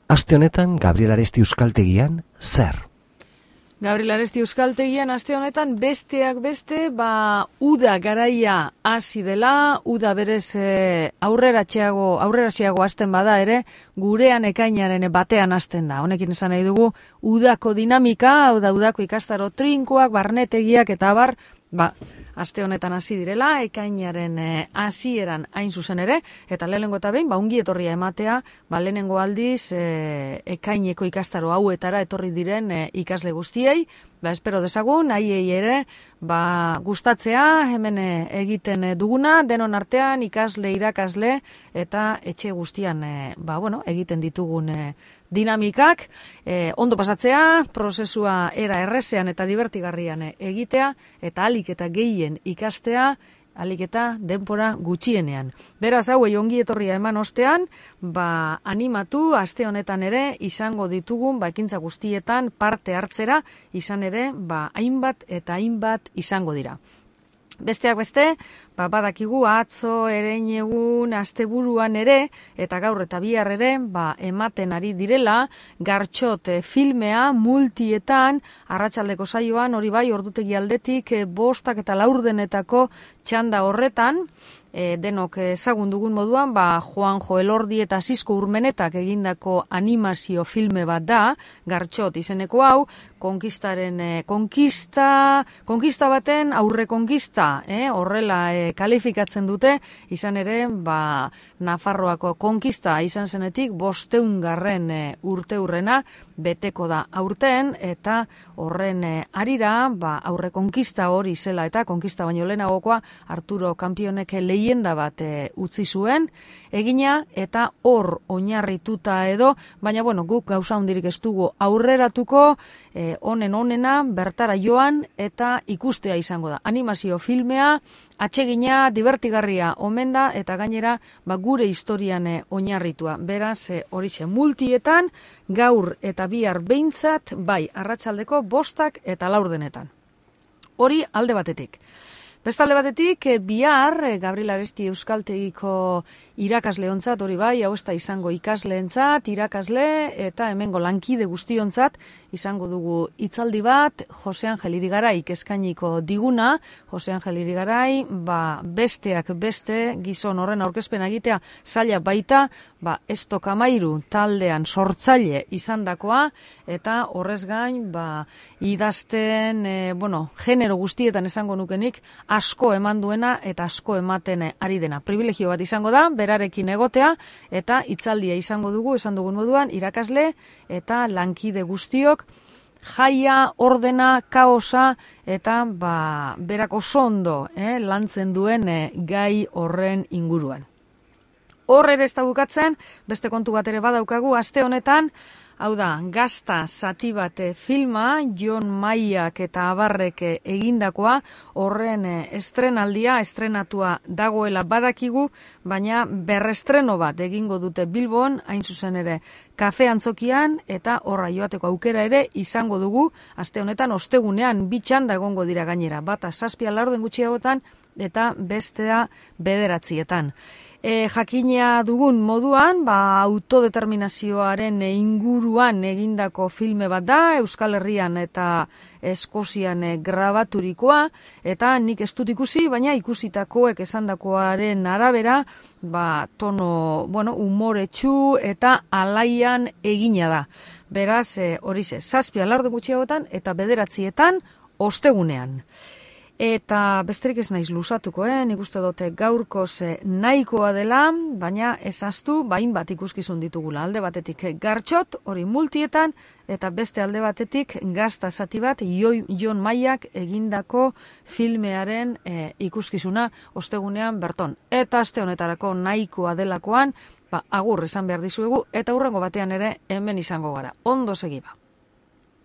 aste honetan Gabriel Aresti Euskaltegian zer? Gabriel Aresti Euskaltegian aste honetan besteak beste, uda garaia hasi dela, uda berez aurreratsiago hasten bada ere, gurean ekainaren batean hasten da. Honekin esan nahi dugu, udako dinamika, udako ikastaro trinkoak, barnetegiak eta abar, aste honetan hasi direla, ekainaren hasieran hain zuzen ere, eta lehenengo eta behin, ongi etorria ematea, lehenengo aldiz ekaineko ikastaro hauetara etorri diren ikasle guztiei, espero dezagun, haiei ere, gustatzea, hemen egiten duguna, denon artean, ikasle, irakasle, eta etxe guztian, egiten ditugun dinamikak, ondo pasatzea, prozesua era errezean eta divertigarrian egitea, eta alik eta gehien ikastea, alik eta denbora gutxienean. Beraz, hauei ongi etorria eman ostean, animatu, aste honetan ere, izango ditugun, ekintza guztietan parte hartzera, izan ere, hainbat eta hainbat izango dira. Besteak beste, badakigu atzo, erein asteburuan ere, eta gaur eta bihar ere, ematen ari direla, Gartxot filmea multietan, arratsaldeko saioan, hori ordutegi aldetik, 5 eta 4 txanda horretan, denok ezagun dugun moduan, Juanjo Elordi eta Sisko Urmenetak egindako animazio filme bat da, Gartxot izeneko hau, konkista baten aurre konkista, horrela kalifikatzen dute, izan ere, Nafarroako konkista izan zenetik 500. Urteurrena beteko da aurten, eta horren arira, aurre konkista hori zela eta konkista baino lehenagokoa Arturo Kampionek leyenda bat utzi zuen, egina eta hor oinarrituta edo, baina guk gauza hundirik ez dugu aurreratuko, onena bertara joan eta ikustea izango da. Animazio filmea, atsegina, divertigarria omen da, eta gainera gure historian oinarritua. Beraz, horixe multietan, gaur eta bihar behintzat, arratsaldeko 5 eta 4. Hori alde batetik. Bestalde batetik, bihar Gabriel Aresti Euskaltegiko irakasleontzat, hori hau ez da izango ikasleentzat, irakasle eta hemengo lankide guztiontzat, izango dugu hitzaldi bat, Jose Angel Irigaraik eskainiko diguna, Jose Angel Irigarai, besteak beste, gizon horren aurkezpena egitea, zaila baita, Estok Amairu taldean sortzaile izandakoa, eta horrez gain, idazten, genero guztietan esango nukenik, asko eman duena eta asko ematen ari dena. Privilegio bat izango da, berarekin egotea, eta hitzaldia izango dugu, esan dugun moduan, irakasle eta lankide guztiok, jaia, ordena, kaosa, eta berak oso ondo lantzen duen gai horren inguruan. Hor ere ez da bukatzen, beste kontu bat ere badaukagu, aste honetan, hau da, Gazta zati bat filma, Jon Maiak eta Abarrek egindakoa, horren estrenatua dagoela badakigu, baina berrestreno bat egingo dute Bilbon, hain zuzen ere, kafe antzokian, eta horra joateko aukera ere izango dugu, aste honetan, ostegunean, 2 txanda egongo dira gainera, bata 7 gutxiagotan, eta bestea 9. Jakina dugun moduan, autodeterminazioaren inguruan egindako filme bat da, Euskal Herrian eta Eskozian grabaturikoa, eta nik ez dut ikusi, baina ikusitakoek esandakoaren arabera, tono, umoretsu eta alaian egina da. Beraz, horixe, 7 gutxiagotan eta 9 ostegunean. Eta besterik ez naiz luzatuko, nik uste dute gaurkoz nahikoa dela, baina ezaztu, hainbat ikuskizun ditugula. Alde batetik Gartxot, hori multietan, eta beste alde batetik Gazta zati bat, Jon Maiak egindako filmearen ikuskizuna ostegunean berton. Eta aste honetarako nahikoa delakoan, agur esan behar dizuegu, eta hurrengo batean ere hemen izango gara. Ondo segiba.